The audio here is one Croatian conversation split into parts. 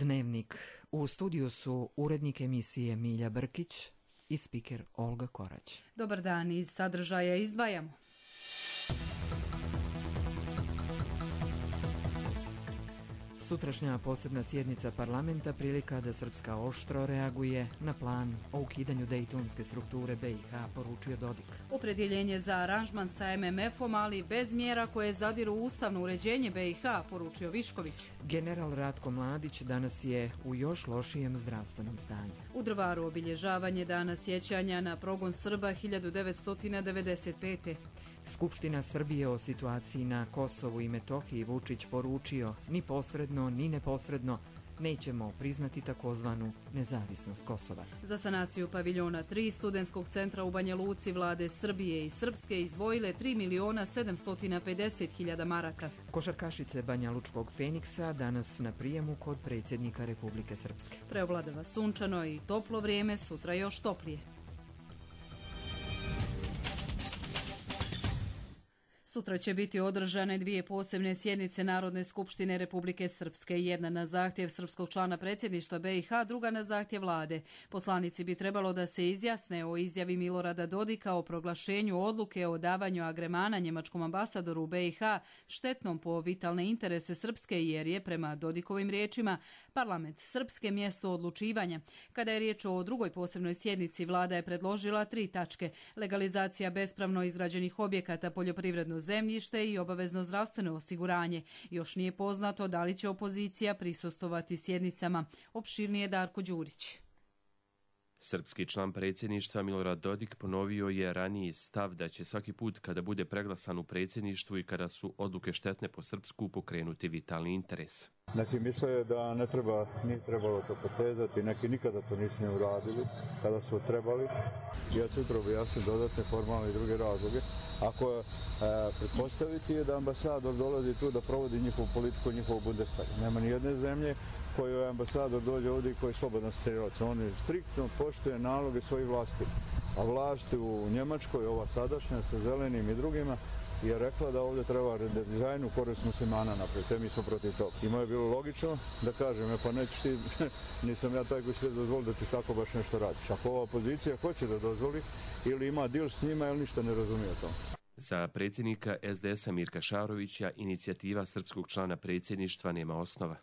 Dnevnik. U studiju su urednik emisije Milja Brkić i spiker Olga Korać. Dobar dan, iz sadržaja izdvajamo. Sutrašnja posebna sjednica parlamenta prilika da Srpska oštro reaguje na plan o ukidanju dejtonske strukture BiH, poručio Dodik. Opredjeljenje za aranžman sa MMF-om, ali bez mjera koje zadiru ustavno uređenje BiH, poručio Višković. General Ratko Mladić danas je u još lošijem zdravstvenom stanju. U Drvaru obilježavanje dana sjećanja na progon Srba 1995. Skupština Srbije o situaciji na Kosovu i Metohiji Vučić poručio ni posredno ni neposredno nećemo priznati takozvanu nezavisnost Kosova. Za sanaciju paviljona 3 studentskog centra u Banja Luci vlade Srbije i Srpske izdvojile 3.750.000 maraka. Košarkašice Banja Lučkog Feniksa danas na prijemu kod predsjednika Republike Srpske. Preovladava sunčano i toplo vrijeme, sutra još toplije. Sutra će biti održane 2 posebne sjednice Narodne skupštine Republike Srpske, jedna na zahtjev srpskog člana predsjedništva BiH, druga na zahtjev vlade. Poslanici bi trebalo da se izjasne o izjavi Milorada Dodika o proglašenju odluke o davanju agremana njemačkom ambasadoru u BiH štetnom po vitalne interese Srpske, jer je, prema Dodikovim riječima, parlament Srpske mjesto odlučivanja. Kada je riječ o drugoj posebnoj sjednici, vlada je predložila 3 tačke: legalizacija bespravno izgrađenih objekata, poljoprivredno zemljište i obavezno zdravstveno osiguranje. Još nije poznato da li će opozicija prisustvovati sjednicama. Opširnije Darko Đurić. Srpski član predsjedništva Milorad Dodik ponovio je raniji stav da će svaki put kada bude preglasan u predsjedništvu i kada su odluke štetne po Srpsku pokrenuti vitalni interes. Neki misle da nije trebalo to potezati, neki nikada to nisu ne uradili kada su trebali. Ja ću upravo objasniti dodatne formalne i druge razloge. Ako pretpostaviti je da ambasador dolazi tu da provodi njihovu politiku, njihovu Bundestag. Nema ni jedne zemlje kojoj ambasador dođe ovdje i koji je slobodan strelac. On striktno poštuje naloge svojih vlasti. A vlasti u Njemačkoj, ova sadašnja sa zelenim i drugima, je rekla da ovdje treba redizajn u korist muslimana napraviti, te mi smo protiv toga. I moje je bilo logično da kažem, pa nećeš ti, nisam ja taj koji će dozvoliti da ti tako baš nešto radiš. Ako ova opozicija hoće da dozvoli ili ima dil s njima, ili ništa ne razumije to. Za predsjednika SDS-a Mirka Šarovića inicijativa srpskog člana predsjedništva nema osnova.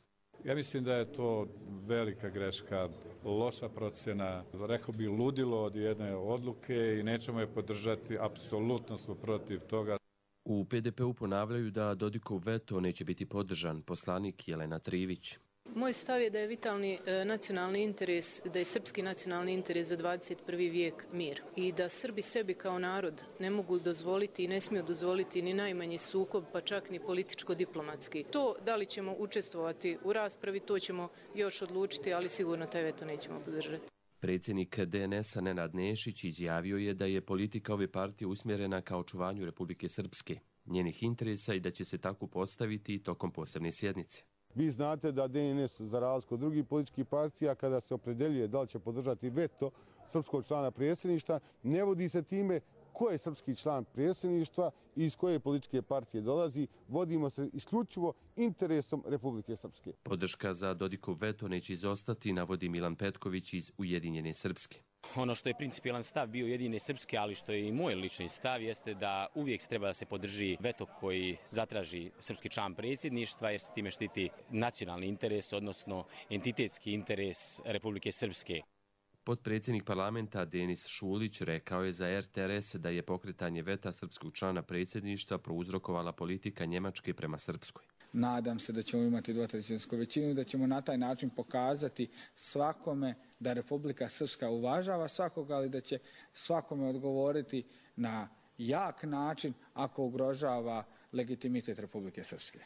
Ja mislim da je to velika greška, loša procjena, rekao bi ludilo od jedne odluke i nećemo je podržati, apsolutno smo protiv toga. U PDP-u ponavljaju da Dodikov veto neće biti podržan. Poslanik Jelena Trivić. Moj stav je da je vitalni nacionalni interes, da je srpski nacionalni interes za 21. vijek mir i da Srbi sebi kao narod ne mogu dozvoliti i ne smiju dozvoliti ni najmanji sukob, pa čak ni političko-diplomatski. To da li ćemo učestvovati u raspravi, to ćemo još odlučiti, ali sigurno taj veto nećemo podržati. Predsjednik DNS-a Nenad Nešić izjavio je da je politika ove partije usmjerena ka očuvanju Republike Srpske, njenih interesa i da će se tako postaviti tokom posebne sjednice. Vi znate da DNS, za razliku od drugih političkih partija, kada se opredeljuje da li će podržati veto srpskog člana predsjedništva, ne vodi se time ko je srpski član predsjedništva i iz koje političke partije dolazi, vodimo se isključivo interesom Republike Srpske. Podrška za Dodikov veto neće izostati, navodi Milan Petković iz Ujedinjene Srpske. Ono što je principijelan stav bio Ujedinjene Srpske, ali što je i moj lični stav, jeste da uvijek treba da se podrži veto koji zatraži srpski član predsjedništva, jer se time štiti nacionalni interes, odnosno entitetski interes Republike Srpske. Potpredsjednik parlamenta Denis Šulić rekao je za RTRS da je pokretanje veta srpskog člana predsjedništva prouzrokovala politika Njemačke prema Srpskoj. Nadam se da ćemo imati 2/3 većinu i da ćemo na taj način pokazati svakome da Republika Srpska uvažava svakoga, ali da će svakome odgovoriti na jak način ako ugrožava legitimitet Republike Srpske.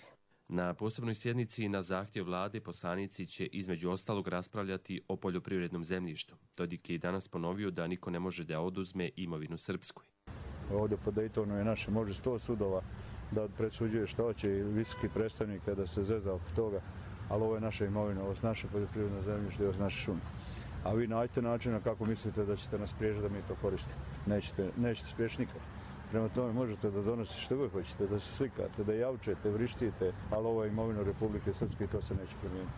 Na posebnoj sjednici na zahtjev vlade poslanici će između ostalog raspravljati o poljoprivrednom zemljištu. Dodik je i danas ponovio da niko ne može da oduzme imovinu Srpskoj. Ovdje po Daytonu je naše, može 100 sudova da presuđuje što će i visoki predstavnik da se zeza oko toga, ali ovo je naša imovina, ovo je naše poljoprivredno zemljište, ovo je naše šume. A vi nađete načina kako mislite da ćete nas spriječiti da mi to koristimo. Nećete spriječiti nikad. Prema tome možete da donosite što god hoćete, da se slikate, da javčete, vrištite, ali ovo je imovina Republike Srpske i to se neće promijeniti.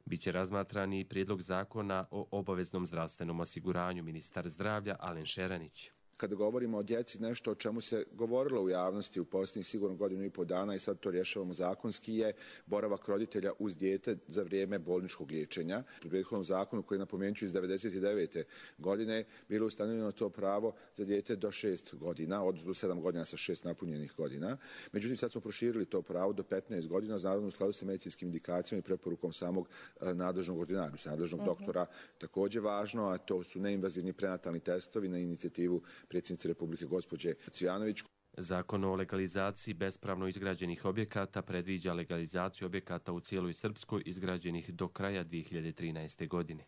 Biće razmatran i prijedlog zakona o obaveznom zdravstvenom osiguranju, ministar zdravlja Alen Šeranić. Kada govorimo o djeci, nešto o čemu se govorilo u javnosti u posljednjih sigurno godinu i pol dana i sad to rješavamo zakonski je boravak roditelja uz dijete za vrijeme bolničkog liječenja. U prethodnom zakonu koji napomenuću iz 1999. godine bilo ustanovljeno to pravo za dijete do 6 godina, odnosno do 7 godina sa 6 napunjenih godina. Međutim, sad smo proširili to pravo do 15 godina, naravno u skladu sa medicinskim indikacijama i preporukom samog nadležnog ordinarisa, nadležnog doktora. Također važno, a to su neinvazivni prenatalni testovi na inicijativu predsjednice Republike gospođe Cvijanović. Zakon o legalizaciji bespravno izgrađenih objekata predviđa legalizaciju objekata u cijeloj Srpskoj izgrađenih do kraja 2013. godine.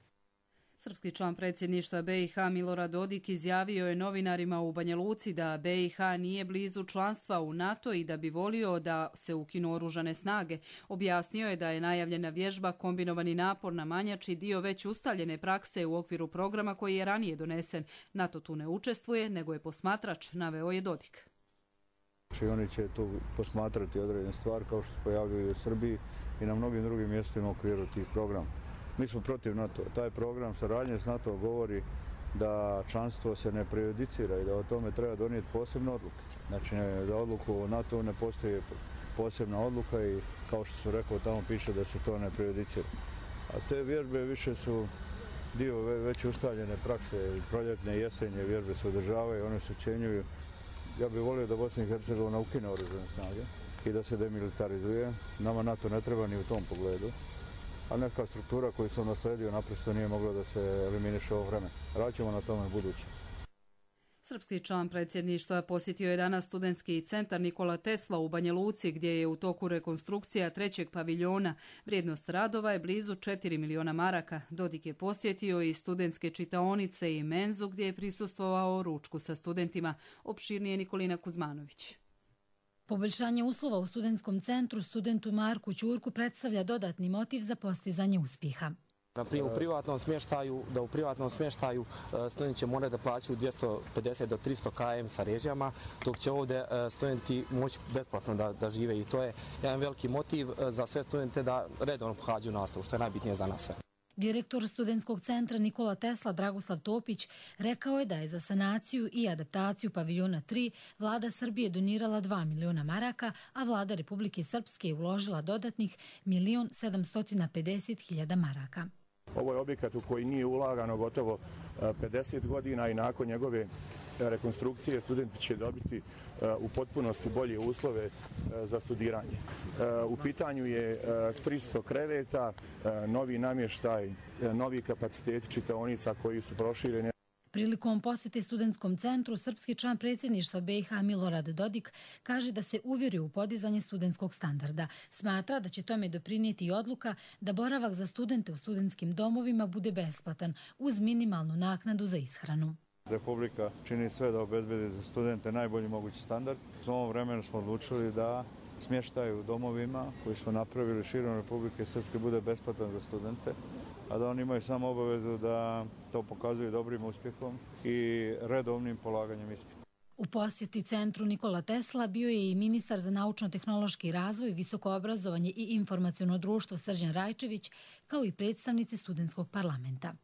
Srpski član predsjedništva BiH Milorad Dodik izjavio je novinarima u Banja Luci da BiH nije blizu članstva u NATO i da bi volio da se ukinu oružane snage. Objasnio je da je najavljena vježba kombinovani napor na Manjači dio već ustaljene prakse u okviru programa koji je ranije donesen. NATO tu ne učestvuje, nego je posmatrač, naveo je Dodik. Oni će tu posmatrati određene stvari kao što se pojavljaju u Srbiji i na mnogim drugim mjestima u okviru tih programa. Mi smo protiv NATO. Taj program saradnje s NATO govori da članstvo se ne prejudicira i da o tome treba donijeti posebne odluke. Znači, za odluku o NATO ne postoji posebna odluka i kao što su rekao, tamo piše da se to ne prejudicira. A te vježbe više su dio već ustaljene prakse, proljetne i jesenje vježbe se održavaju, one se ocjenjuju. Ja bih volio da Bosna i Hercegovina ukine oružane snage i da se demilitarizuje. Nama NATO ne treba ni u tom pogledu. A neka struktura koju sam nasledio naprosto nije mogla da se eliminiše ovo vreme. Radit na tome buduće. Srpski član predsjedništva posjetio je danas studentski centar Nikola Tesla u Banja Luci, gdje je u toku rekonstrukcija 3. paviljona. Vrijednost radova je blizu 4 miliona maraka. Dodik je posjetio i studentske čitaonice i menzu, gdje je prisustvovao ručku sa studentima. Opširnije Nikolina Kuzmanović. Poboljšanje uslova u studentskom centru studentu Marku Ćurku predstavlja dodatni motiv za postizanje uspjeha. U privatnom smještaju studenti će morati da plaćaju 250 do 300 km sa režijama, dok će ovdje studenti moći besplatno da žive i to je jedan veliki motiv za sve studente da redovno pohađaju nastavu, što je najbitnije za nas sve. Direktor studentskog centra Nikola Tesla Dragoslav Topić rekao je da je za sanaciju i adaptaciju paviljona 3 vlada Srbije donirala 2 miliona maraka, a vlada Republike Srpske je uložila dodatnih 1.750.000 maraka. Ovo je objekat u koji nije ulagano gotovo 50 godina i nakon njegove rekonstrukcije studenti će dobiti u potpunosti bolje uslove za studiranje. U pitanju je 300 kreveta, novi namještaj, novi kapaciteti čitaonica koji su prošireni. Prilikom posjete studentskom centru, srpski član predsjedništva BiH Milorad Dodik kaže da se uvjerio u podizanje studentskog standarda. Smatra da će tome doprinijeti i odluka da boravak za studente u studentskim domovima bude besplatan uz minimalnu naknadu za ishranu. Republika čini sve da obezbedi za studente najbolji mogući standard. U ovom vremenu smo odlučili da smještaj u domovima koji smo napravili širom Republike Srpske bude besplatan za studente, a da oni imaju samo obavezu da to pokazuju dobrim uspjehom i redovnim polaganjem ispita. U posjeti centru Nikola Tesla bio je i ministar za naučno-tehnološki razvoj, visoko obrazovanje i informaciono društvo Srđan Rajčević, kao i predstavnici studentskog parlamenta.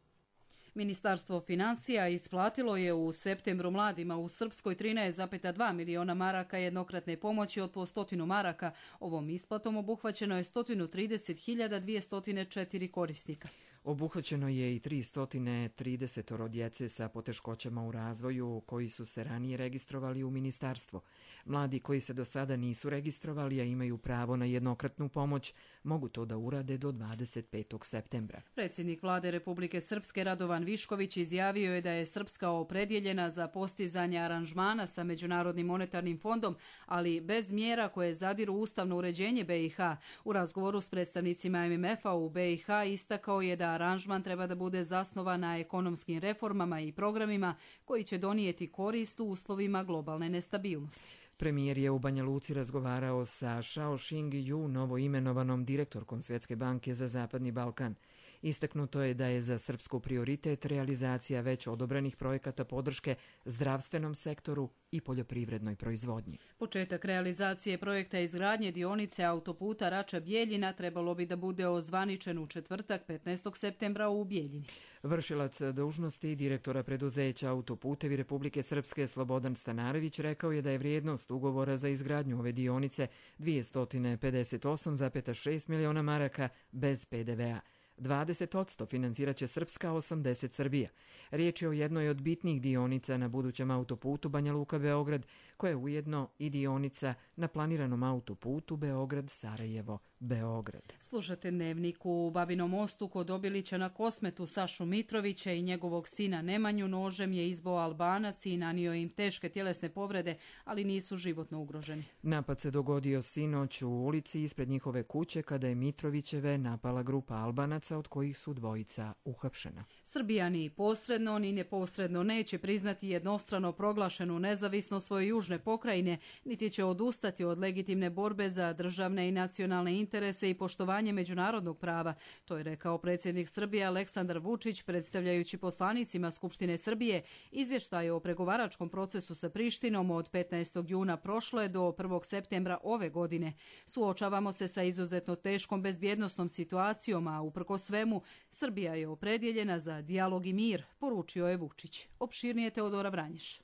Ministarstvo financija isplatilo je u septembru mladima u Srpskoj 13,2 miliona maraka jednokratne pomoći od po 100 maraka. Ovom isplatom obuhvaćeno je 130.204 korisnika. Obuhvaćeno je i 330 djece sa poteškoćama u razvoju koji su se ranije registrovali u ministarstvo. Mladi koji se do sada nisu registrovali, a imaju pravo na jednokratnu pomoć, mogu to da urade do 25. septembra. Predsjednik vlade Republike Srpske Radovan Višković izjavio je da je Srpska opredjeljena za postizanje aranžmana sa Međunarodnim monetarnim fondom, ali bez mjera koje zadiru ustavno uređenje BiH. U razgovoru s predstavnicima MMF-a u BiH istakao je da aranžman treba da bude zasnovan na ekonomskim reformama i programima koji će donijeti korist u uslovima globalne nestabilnosti. Premijer je u Banja Luci razgovarao sa Shao Xing Yu, novoimenovanom direktorkom Svjetske banke za Zapadni Balkan. Istaknuto je da je za Srpsku prioritet realizacija već odobrenih projekata podrške zdravstvenom sektoru i poljoprivrednoj proizvodnji. Početak realizacije projekta izgradnje dionice autoputa Rača-Bjeljina trebalo bi da bude ozvaničen u četvrtak 15. septembra u Bjeljini. Vršilac dužnosti direktora preduzeća Autoputevi Republike Srpske Slobodan Stanarević rekao je da je vrijednost ugovora za izgradnju ove dionice 258,6 miliona maraka bez PDV-a. 20% financirat će Srpska, 80% Srbija. Riječ je o jednoj od bitnih dionica na budućem autoputu Banja Luka-Beograd, koja je ujedno i dionica na planiranom autoputu Beograd-Sarajevo-Beograd. Slušate Dnevnik. U Babinom Mostu kod Obilića na Kosmetu Sašu Mitrovića i njegovog sina Nemanju nožem je izboo Albanac i nanio im teške tjelesne povrede, ali nisu životno ugroženi. Napad se dogodio sinoć u ulici ispred njihove kuće kada je Mitrovićeve napala grupa Albanaca, od kojih su dvojica uhapšena. Srbija ni posredno ni neposredno neće priznati jednostrano proglašenu nezavisnost svoje južne pokrajine, niti će odustati od legitimne borbe za državne i nacionalne interese i poštovanje međunarodnog prava. To je rekao predsjednik Srbije Aleksandar Vučić predstavljajući poslanicima Skupštine Srbije izvještaj o pregovaračkom procesu sa Prištinom od 15. juna prošle do 1. septembra ove godine. Suočavamo se sa izuzetno teškom bezbjednosnom situacijom, a uprkos svemu Srbija je opredjeljena za dijalog i mir, poručio je Vučić. Opširnije Teodora Vranješ.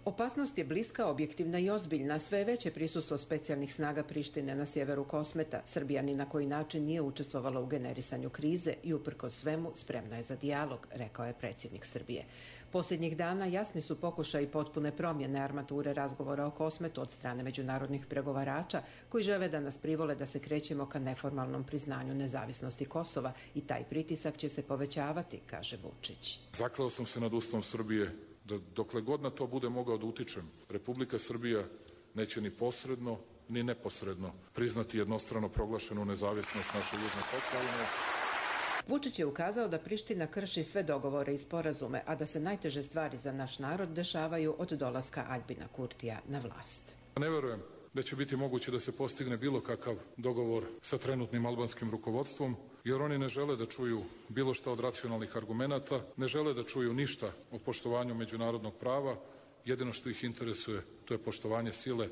Opasnost je bliska, objektivna i ozbiljna. Sve veće prisustvo specijalnih snaga Prištine na sjeveru Kosmeta. Srbija ni na koji način nije učestvovala u generisanju krize i uprkos svemu spremna je za dijalog, rekao je predsjednik Srbije. Posljednjih dana jasni su pokušaji potpune promjene armature razgovora o Kosmetu od strane međunarodnih pregovarača koji žele da nas privole da se krećemo ka neformalnom priznanju nezavisnosti Kosova i taj pritisak će se povećavati, kaže Vučić. Zakleo sam se nad Ustavom Srbije da dokle god na to bude mogao da utičem, Republika Srbija neće ni posredno ni neposredno priznati jednostrano proglašenu nezavisnost naše južne pokrajine. Vučić je ukazao da Priština krši sve dogovore i sporazume, a da se najteže stvari za naš narod dešavaju od dolaska Aljbina Kurtija na vlast. Ne verujem da će biti moguće da se postigne bilo kakav dogovor sa trenutnim albanskim rukovodstvom, jer oni ne žele da čuju bilo šta od racionalnih argumenata, ne žele da čuju ništa o poštovanju međunarodnog prava, jedino što ih interesuje to je poštovanje sile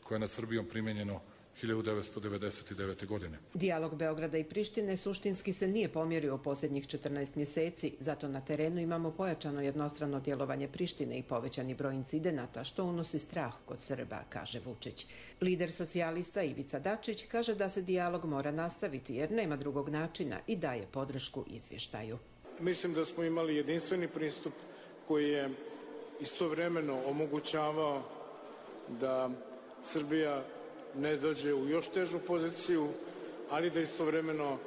koje je nad Srbijom primenjeno 1999. godine. Dijalog Beograda i Prištine suštinski se nije pomjerio u posljednjih 14 mjeseci, zato na terenu imamo pojačano jednostrano djelovanje Prištine i povećani broj incidenata, što unosi strah kod Srba, kaže Vučić. Lider socijalista Ivica Dačić kaže da se dijalog mora nastaviti jer nema drugog načina i daje podršku izvještaju. Mislim da smo imali jedinstveni pristup koji je istovremeno omogućavao da Srbija ne dođe u još težu poziciju, ali da istovremeno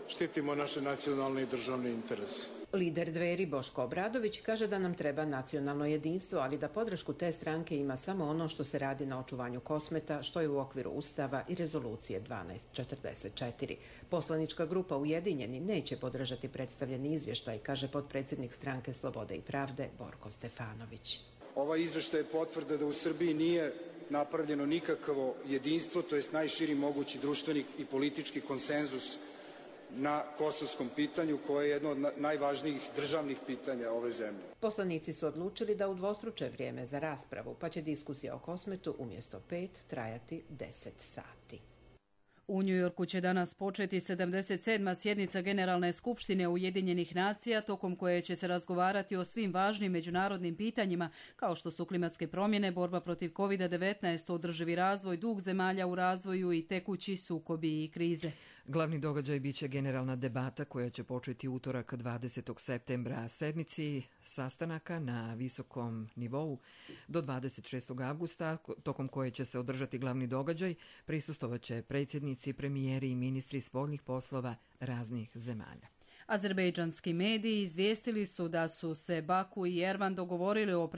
štitimo naše nacionalne i državne interese. Lider Dveri Boško Obradović kaže da nam treba nacionalno jedinstvo, ali da podršku te stranke ima samo ono što se radi na očuvanju Kosmeta, što je u okviru Ustava i rezolucije 1244. Poslanička grupa Ujedinjeni neće podržati predstavljeni izvještaj, kaže potpredsjednik stranke Slobode i pravde Borko Stefanović. Ovaj izvještaj je potvrda da u Srbiji nije napravljeno nikakvo jedinstvo, to jest najširi mogući društveni i politički konsenzus na kosovskom pitanju, koje je jedno od najvažnijih državnih pitanja ove zemlje. Poslanici su odlučili da udvostruče vrijeme za raspravu, pa će diskusija o Kosmetu umjesto 5 trajati 10 sati. U Njujorku će danas početi 77. sjednica Generalne skupštine Ujedinjenih nacija, tokom koje će se razgovarati o svim važnim međunarodnim pitanjima, kao što su klimatske promjene, borba protiv COVID-19, održivi razvoj, dug zemalja u razvoju i tekući sukobi i krize. Glavni događaj biće generalna debata koja će početi utorak 20. septembra, sedmici sastanaka na visokom nivou do 26. avgusta, tokom koje će se održati glavni događaj. Prisustvovaće predsjednici, premijeri i ministri spoljnih poslova raznih zemalja. Azerbejdžanski mediji izvijestili su da su se Baku i Ervan dogovorili o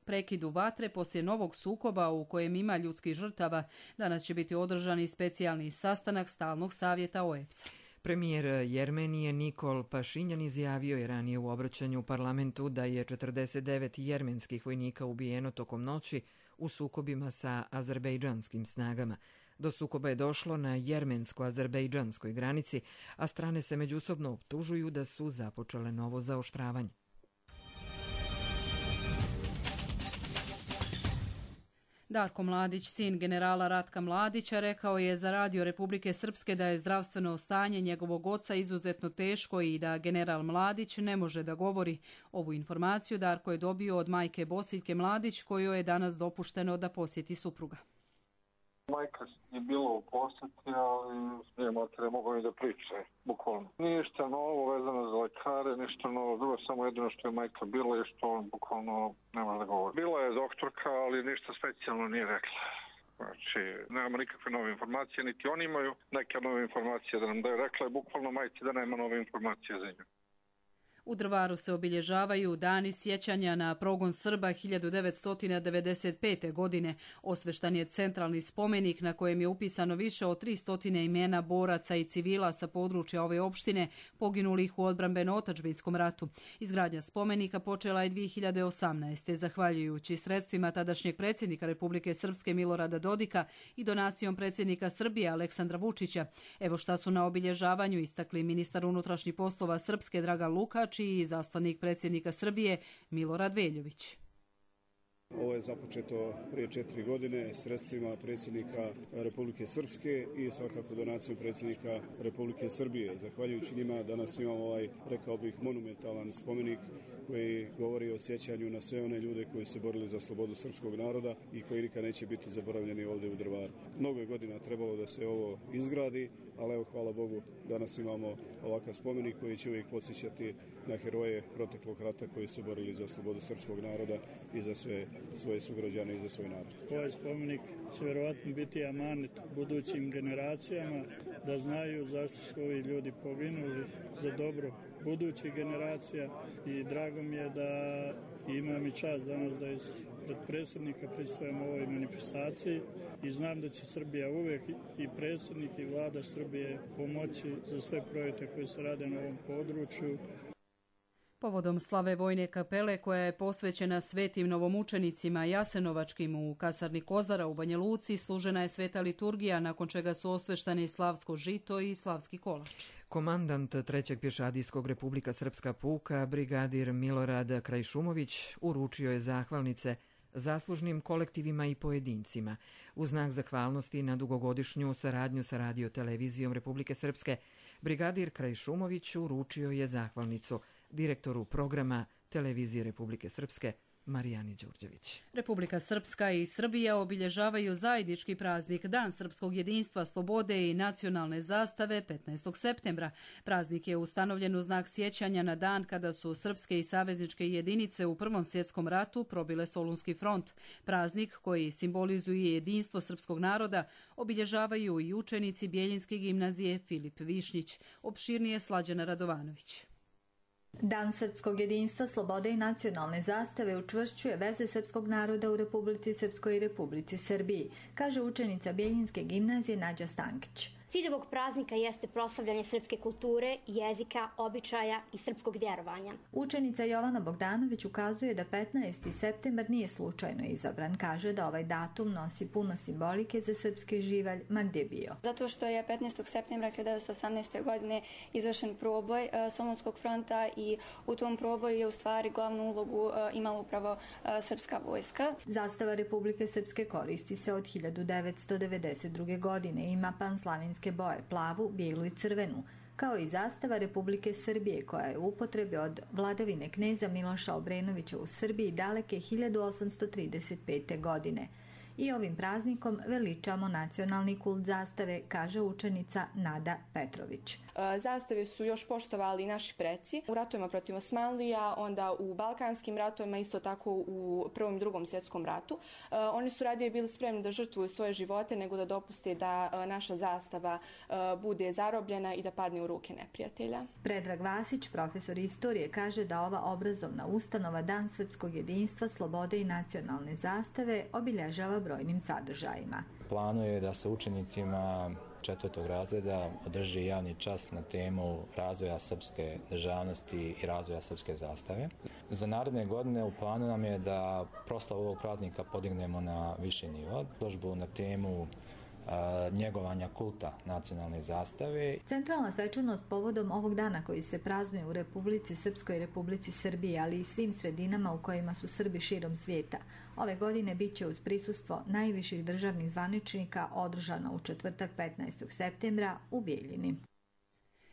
prekidu vatre poslije novog sukoba u kojem ima ljudskih žrtava. Danas će biti održan i specijalni sastanak stalnog savjeta OEBS-a. Premijer Jermenije Nikol Pašinjan izjavio je ranije u obraćanju u parlamentu da je 49 jermenskih vojnika ubijeno tokom noći u sukobima sa azerbejdžanskim snagama. Do sukoba je došlo na jermensko-azerbejdžanskoj granici, a strane se međusobno optužuju da su započele novo zaoštravanje. Darko Mladić, sin generala Ratka Mladića, rekao je za Radio Republike Srpske da je zdravstveno stanje njegovog oca izuzetno teško i da general Mladić ne može da govori. Ovu informaciju Darko je dobio od majke Bosiljke Mladić, kojoj je danas dopušteno da posjeti supruga. Majka je bila u posjeti, ali nije mater mogao ni da priče, bukvalno. Ništa novo vezano za lekare, ništa novo, drugo samo jedino što je majka bila i što on bukvalno ne može da govori. Bila je doktorka, ali ništa specijalno nije rekla. Znači, nemamo nikakve nove informacije, niti oni imaju neke nove informacije da nam daju. Rekla je bukvalno majci da nema nove informacije za nju. U Drvaru se obilježavaju dani sjećanja na progon Srba 1995. godine. Osveštan je centralni spomenik na kojem je upisano više od 300 imena boraca i civila sa područja ove opštine poginulih u odbrambeno-otadžbinskom ratu. Izgradnja spomenika počela je 2018. zahvaljujući sredstvima tadašnjeg predsjednika Republike Srpske Milorada Dodika i donacijom predsjednika Srbije Aleksandra Vučića. Evo šta su na obilježavanju istakli ministar unutrašnjih poslova Srpske Dragan Lukač i izaslanik predsjednika Srbije Milorad Veljović. Ovo je započeto prije 4 godine sredstvima predsjednika Republike Srpske i svakako donacijom predsjednika Republike Srbije. Zahvaljujući njima danas imamo ovaj, rekao bih, monumentalan spomenik koji govori o sjećanju na sve one ljude koji se borili za slobodu srpskog naroda i koji nikad neće biti zaboravljeni ovdje u Drvaru. Mnogo je godina trebalo da se ovo izgradi, ali evo, hvala Bogu, danas imamo ovakav spomenik koji će uvijek podsjećati na heroje proteklog rata koji se borili za slobodu srpskog naroda i za sve svoje sugrađane i za svoj narod. Ovaj spomenik će vjerovatno biti amanet budućim generacijama da znaju zašto su ovi ljudi poginuli za dobro budućih generacija i drago mi je da imam i čast danas da pred predsjednika pristujem ovoj manifestaciji i znam da će Srbija uvijek i predsjednik i vlada Srbije pomoći za sve projekte koji se rade na ovom području. Povodom slave vojne kapele koja je posvećena svetim novomučenicima Jasenovačkim u kasarni Kozara u Banja Luci, služena je sveta liturgija, nakon čega su osveštani slavsko žito i slavski kolač. Komandant 3. pješadijskog Republika Srpska puka, brigadir Milorad Krajšumović, uručio je zahvalnice zaslužnim kolektivima i pojedincima. U znak zahvalnosti na dugogodišnju saradnju sa Radio-televizijom Republike Srpske, brigadir Krajšumović uručio je zahvalnicu direktoru programa Televizije Republike Srpske Marijani Đurđević. Republika Srpska i Srbija obilježavaju zajednički praznik Dan srpskog jedinstva, slobode i nacionalne zastave 15. septembra. Praznik je ustanovljen u znak sjećanja na dan kada su srpske i savezničke jedinice u Prvom svjetskom ratu probile Solunski front. Praznik koji simbolizuje jedinstvo srpskog naroda obilježavaju i učenici Bjeljinske gimnazije Filip Višnjić. Opširnije Slađana Radovanović. Dan srpskog jedinstva, slobode i nacionalne zastave učvršćuje veze srpskog naroda u Republici Srpskoj i Republici Srbiji, kaže učenica Bjeljinske gimnazije Nađa Stankić. Cilj ovog praznika jeste proslavljanje srpske kulture, jezika, običaja i srpskog vjerovanja. Učenica Jovana Bogdanović ukazuje da 15. septembar nije slučajno izabran. Kaže da ovaj datum nosi puno simbolike za srpski živalj, ma gdje bio. Zato što je 15. septembra 1918. godine izvršen proboj Solunskog fronta i u tom proboju je u stvari glavnu ulogu imala upravo srpska vojska. Zastava Republike Srpske koristi se od 1992. godine. Ima panslavinske boje, plavu, bijelu i crvenu, kao i zastava Republike Srbije koja je u upotrebi od vladavine kneza Miloša Obrenovića u Srbiji daleke 1835. godine. I ovim praznikom veličamo nacionalni kult zastave, kaže učenica Nada Petrović. Zastave su još poštovali naši preci u ratovima protiv Osmanlija, onda u balkanskim ratovima, isto tako u Prvom i Drugom svjetskom ratu. Oni su radije bili spremni da žrtvuju svoje živote nego da dopuste da naša zastava bude zarobljena i da padne u ruke neprijatelja. Predrag Vasić, profesor istorije, kaže da ova obrazovna ustanova Dan srpskog jedinstva, slobode i nacionalne zastave obilježava brojnim sadržajima. Planuje da se učenicima 4. razreda održi javni čas na temu razvoja srpske državnosti i razvoja srpske zastave. Za naredne godine u planu nam je da proslavu ovog praznika podignemo na viši nivo. Izložbu na temu njegovanja kulta nacionalne zastave. Centralna svečanost povodom ovog dana koji se praznuje u Republici Srpskoj i Republici Srbiji, ali i svim sredinama u kojima su Srbi širom svijeta, ove godine bit će uz prisustvo najviših državnih zvaničnika održana u četvrtak 15. septembra u Bijeljini.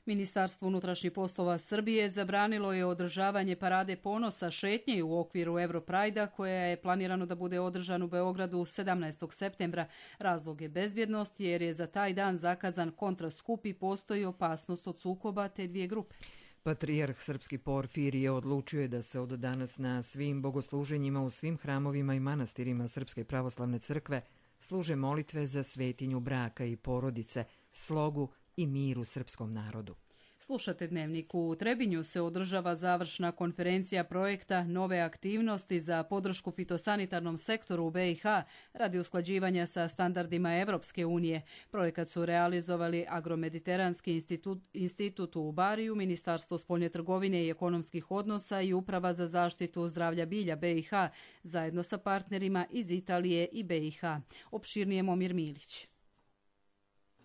Ministarstvo unutrašnjih poslova Srbije zabranilo je održavanje parade ponosa šetnje u okviru Europrajda koja je planirano da bude održan u Beogradu 17. septembra. Razlog je bezbjednost jer je za taj dan zakazan kontraskup i postoji opasnost od sukoba te dvije grupe. Patrijarh srpski Porfirije odlučio je da se od danas na svim bogosluženjima u svim hramovima i manastirima Srpske pravoslavne crkve služe molitve za svetinju braka i porodice, slogu i mir u srpskom narodu. Slušate Dnevnik. U Trebinju se održava završna konferencija projekta Nove aktivnosti za podršku fitosanitarnom sektoru u BiH radi usklađivanja sa standardima Evropske unije. Projekat su realizovali Agromediteranski institut u Bariju, Ministarstvo spoljne trgovine i ekonomskih odnosa i Uprava za zaštitu zdravlja bilja BiH zajedno sa partnerima iz Italije i BiH. Opširnije Momir Milić.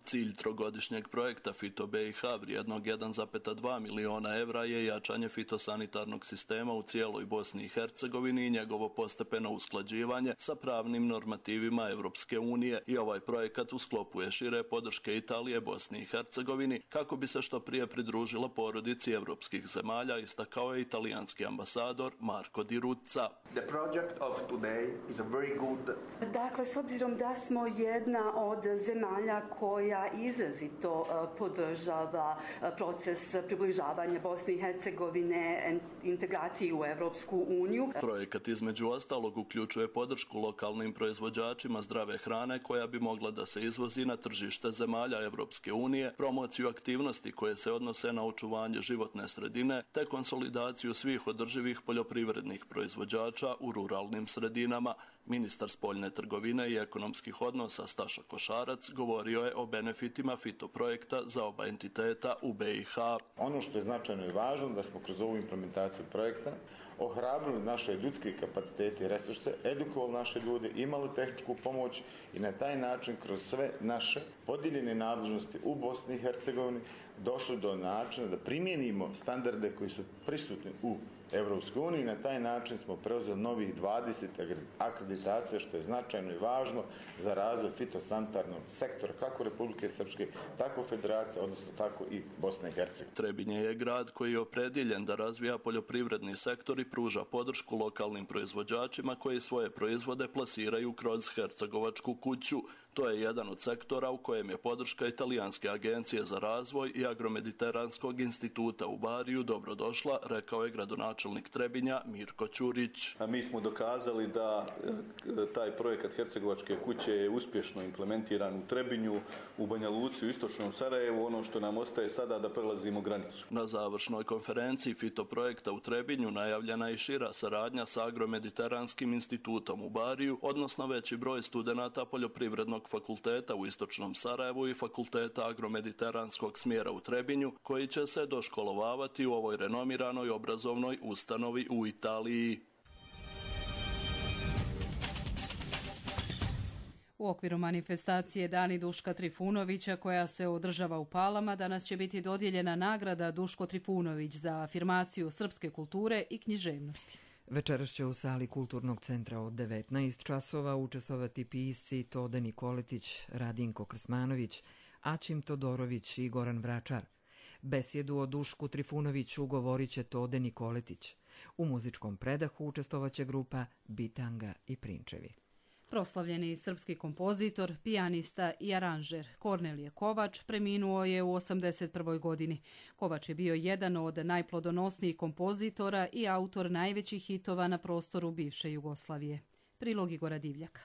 Cilj trogodišnjeg projekta Fito BiH vrijednog 1,2 miliona evra je jačanje fitosanitarnog sistema u cijeloj Bosni i Hercegovini i njegovo postepeno usklađivanje sa pravnim normativima Evropske unije i ovaj projekat u sklopu je šire podrške Italije Bosni i Hercegovini kako bi se što prije pridružila porodici evropskih zemalja, istakao je italijanski ambasador Marco Di Ruzza. The project of today is a very good. Dakle, s obzirom da smo jedna od zemalja koja izrazito podržava proces približavanja Bosne i Hercegovine integraciji u Evropsku uniju. Projekat između ostalog uključuje podršku lokalnim proizvođačima zdrave hrane koja bi mogla da se izvozi na tržište zemalja Evropske unije, promociju aktivnosti koje se odnose na očuvanje životne sredine te konsolidaciju svih održivih poljoprivrednih proizvođača u ruralnim sredinama. Ministar spoljne trgovine i ekonomskih odnosa Staša Košarac govorio je o benefitima fitoprojekta za oba entiteta u BiH. Ono što je značajno i važno da smo kroz ovu implementaciju projekta ohrabrili naše ljudske kapacitete i resurse, edukovali naše ljude, imali tehničku pomoć i na taj način kroz sve naše podijeljene nadležnosti u Bosni i Hercegovini došli do načina da primijenimo standarde koji su prisutni u Evropskoj uniji. Na taj način smo preuzeli novih 20 akreditacija, što je značajno i važno za razvoj fitosanitarnog sektora kako Republike Srpske, tako Federacije, odnosno tako i Bosne i Hercegovine. Trebinje je grad koji je opredjeljen da razvija poljoprivredni sektor i pruža podršku lokalnim proizvođačima koji svoje proizvode plasiraju kroz Hercegovačku kuću. To je jedan od sektora u kojem je podrška Italijanske agencije za razvoj i Agromediteranskog instituta u Bariju dobrodošla, rekao je gradonačelnik Trebinja Mirko Ćurić. Mi smo dokazali da taj projekat Hercegovačke kuće je uspješno implementiran u Trebinju, u Banja Luci, u istočnom Sarajevu. Ono što nam ostaje sada da prelazimo granicu. Na završnoj konferenciji fitoprojekta u Trebinju najavljena je i šira saradnja sa Agromediteranskim institutom u Bariju, odnosno veći broj studenata poljoprivrednog fakulteta u istočnom Sarajevu i fakulteta agromediteranskog smjera u Trebinju, koji će se doškolovavati u ovoj renomiranoj obrazovnoj ustanovi u Italiji. U okviru manifestacije Dani Duška Trifunovića koja se održava u Palama danas će biti dodijeljena nagrada Duško Trifunović za afirmaciju srpske kulture i književnosti. Večeras će u sali Kulturnog centra od 19 časova učestvovati pisci Tode Nikoletić, Radinko Krsmanović, Aćim Todorović i Goran Vračar. Besjedu o Dušku Trifunoviću govorit će Tode Nikoletić. U muzičkom predahu učestvovaće grupa Bitanga i Prinčevi. Proslavljeni srpski kompozitor, pijanista i aranžer Kornelije Kovač preminuo je u 81. godini. Kovač je bio jedan od najplodonosnijih kompozitora i autor najvećih hitova na prostoru bivše Jugoslavije. Prilog Igora Divljaka.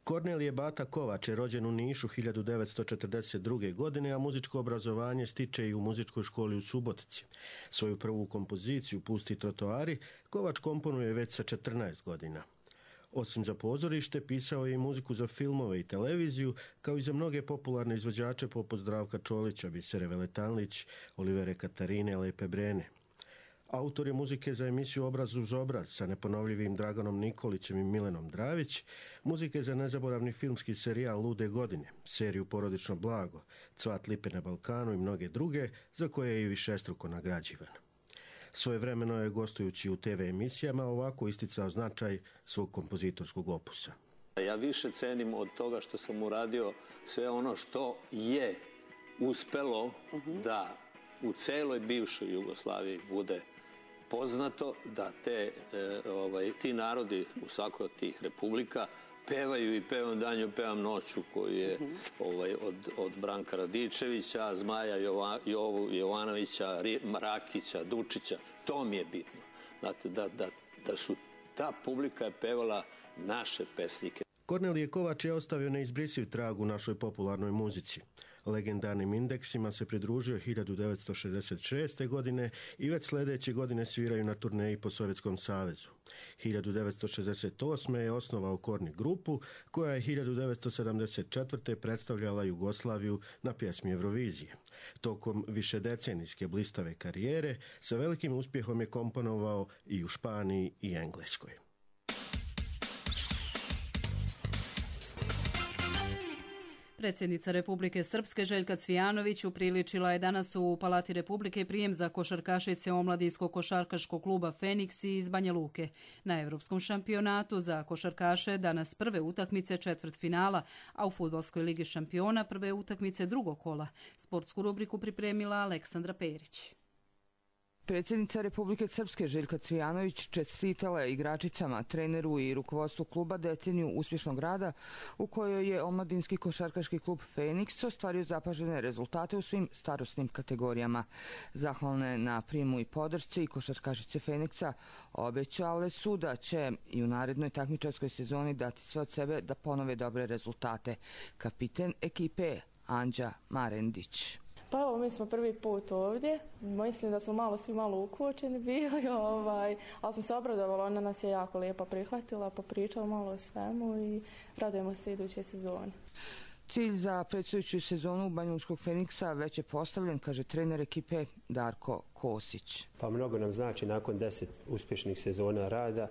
Kornelije Bata Kovač je rođen u Nišu 1942. godine, a muzičko obrazovanje stiče i u muzičkoj školi u Subotici. Svoju prvu kompoziciju Pusti trotoari Kovač komponuje već sa 14 godina. Osim za pozorište, pisao je i muziku za filmove i televiziju, kao i za mnoge popularne izvođače poput Zdravka Čolića, Bisere Veletanlić, Olivere Katarine, Lepe Brene. Autor je muzike za emisiju Obraz uz obraz sa neponovljivim Draganom Nikolićem i Milenom Dravić, muzike za nezaboravni filmski serijal Lude godine, seriju Porodično blago, Cvat lipe na Balkanu i mnoge druge, za koje je i višestruko nagrađivan. Svojevremeno je, gostujući u TV emisijama, ovako isticao značaj svog kompozitorskog opusa. Ja više cenim od toga što sam uradio sve ono što je uspelo da u celoj bivšoj Jugoslaviji bude poznato, da ti narodi u svakoj od tih republika pevaju i pevam danju, pevam noću, koji je od Branka Radičevića, Zmaja Jovanovića, Rakića, Dučića. To mi je bitno. Znate, da su ta publika je pevala naše pesnike. Kornelije Kovač je ostavio neizbrisiv trag u našoj popularnoj muzici. Legendarnim indeksima se pridružio 1966. godine i već sljedeće godine sviraju na turneji po Sovjetskom savezu. 1968. je osnovao Korni grupu, koja je 1974. predstavljala Jugoslaviju na pjesmi Eurovizije. Tokom višedecenijske blistave karijere sa velikim uspjehom je komponovao i u Španiji i Engleskoj. Predsjednica Republike Srpske Željka Cvijanović upriličila je danas u Palati Republike prijem za košarkašice omladinskog košarkaškog kluba Feniks iz Banja Luke. Na Europskom šampionatu za košarkaše danas prve utakmice četvrtfinala, a u Fudbalskoj ligi šampiona prve utakmice drugog kola. Sportsku rubriku pripremila Aleksandra Perić. Predsjednica Republike Srpske Željka Cvijanović čestitala je igračicama, treneru i rukovodstvu kluba deceniju uspješnog rada u kojoj je omladinski košarkaški klub Feniks ostvario zapažene rezultate u svim starosnim kategorijama. Zahvalne na prijemu i podršci košarkašice Feniksa obećale su da će i u narednoj takmičarskoj sezoni dati sve od sebe da ponove dobre rezultate. Kapiten ekipe Anđa Marendić. Pa evo, mi smo prvi put ovdje. Mislim da smo svi malo ukočeni bili, ali smo se obradovali. Ona nas je jako lijepo prihvatila, popričala malo o svemu i radujemo se iduće sezone. Cilj za predstojeću sezonu banjalučkog Feniksa već je postavljen, kaže trener ekipe Darko Kosić. Pa mnogo nam znači nakon 10 uspješnih sezona rada,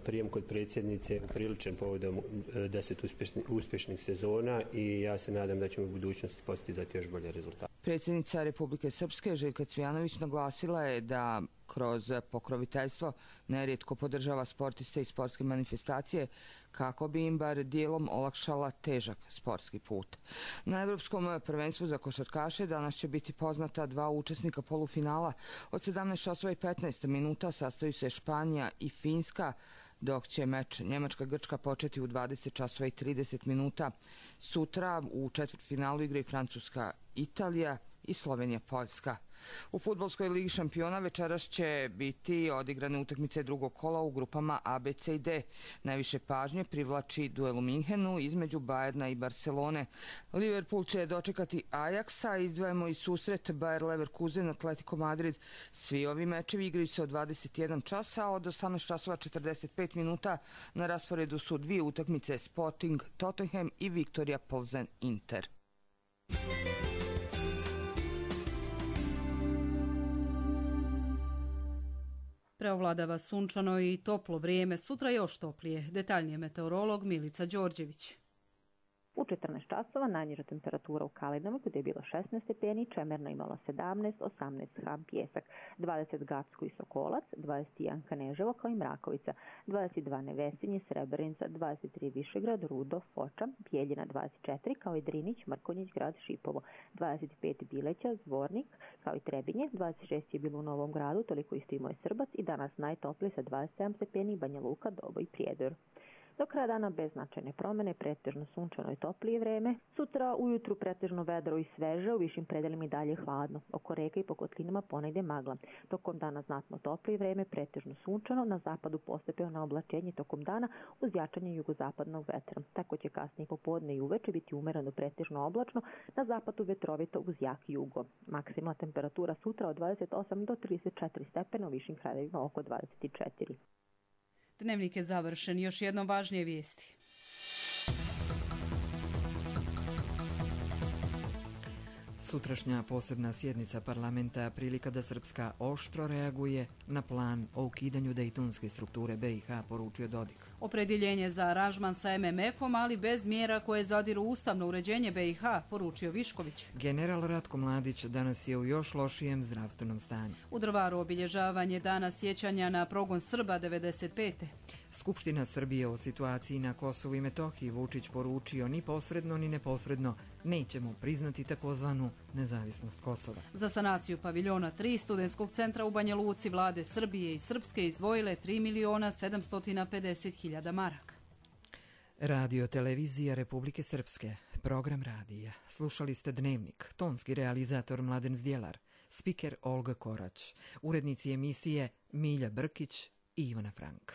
prijem kod predsjednice upriličen povodom 10 uspješnih sezona i ja se nadam da ćemo u budućnosti postizati još bolje rezultate. Predsjednica Republike Srpske Željka Cvijanović naglasila je da kroz pokroviteljstvo nerijetko podržava sportiste i sportske manifestacije kako bi im bar dijelom olakšala težak sportski put. Na Evropskom prvenstvu za košarkaše danas će biti poznata dva učesnika polufinala. Od 17:15 minuta sastaju se Španija i Finska, dok će meč Njemačka-Grčka početi u 20:30 minuta. Sutra u četvrtfinalu igraju Francuska-Italija i Slovenija-Poljska. U Fudbalskoj ligi šampiona večeras će biti odigrane utakmice drugog kola u grupama A, B, C i D. Najviše pažnje privlači duel u Minhenu između Bayerna i Barcelone. Liverpool će dočekati Ajaxa, izdvajamo i susret Bayer Leverkusen, Atletico Madrid. Svi ovi mečevi igraju se od 21 časa, a od 18:45 minuta na rasporedu su dvije utakmice Sporting Tottenham i Viktorija Plzen Inter. Preovladava sunčano i toplo vrijeme, sutra još toplije. Detaljnije meteorolog Milica Đorđević. U 14 časova najniža temperatura u Kalinama gdje je bilo 16 stepeni, Čemerno imalo 17, 18 Hab, Pjesak, 20 Gacko i Sokolac, 21 Kaneževo kao i Mrakovica, 22 Nevesinje, Srebrenica, 23 Višegrad, Rudo, Foča, Bijeljina 24 kao i Drinić, Mrkonjić, grad Šipovo, 25 Bileća, Zvornik kao i Trebinje, 26 je bilo u Novom Gradu, toliko isto imao je Srbac i danas najtoplije sa 27 stepeni, Banja Luka, Dobo i Prijedor. Do kraja dana bez značajne promjene, pretežno sunčano i toplije vreme. Sutra ujutru pretežno vedro i sveže, u višim predelima i dalje hladno. Oko reka i po kotlinama ponegdje magla. Tokom dana znatno toplije vreme, pretežno sunčano, na zapadu postepeno oblačenje tokom dana uz jačanje jugozapadnog vetra. Tako će kasnije popodne i uveče biti umereno pretežno oblačno, na zapadu vetrovito uz jak jugo. Maksimalna temperatura sutra od 28 do 34 stepena, u višim krajevima oko 24. Dnevnik je završen. Još jednom važnije vijesti. Sutrašnja posebna sjednica parlamenta prilika da Srpska oštro reaguje na plan o ukidanju dejtonske strukture BiH, poručio Dodik. Opredjeljenje za aranžman sa MMF-om, ali bez mjera koje zadiru ustavno uređenje BiH, poručio Višković. General Ratko Mladić danas je u još lošijem zdravstvenom stanju. U Drvaru obilježavanje dana sjećanja na progon Srba 95. Skupština Srbije o situaciji na Kosovu i Metohiji Vučić poručio ni posredno ni neposredno nećemo priznati takozvanu nezavisnost Kosova. Za sanaciju paviljona 3 studentskog centra u Banja Luci vlade Srbije i Srpske izdvojile 3.750.000 maraka. Radio televizija Republike Srpske, program radija. Slušali ste Dnevnik, tonski realizator Mladen Zdjelar, spiker Olga Korać, urednici emisije Milja Brkić i Ivana Frank.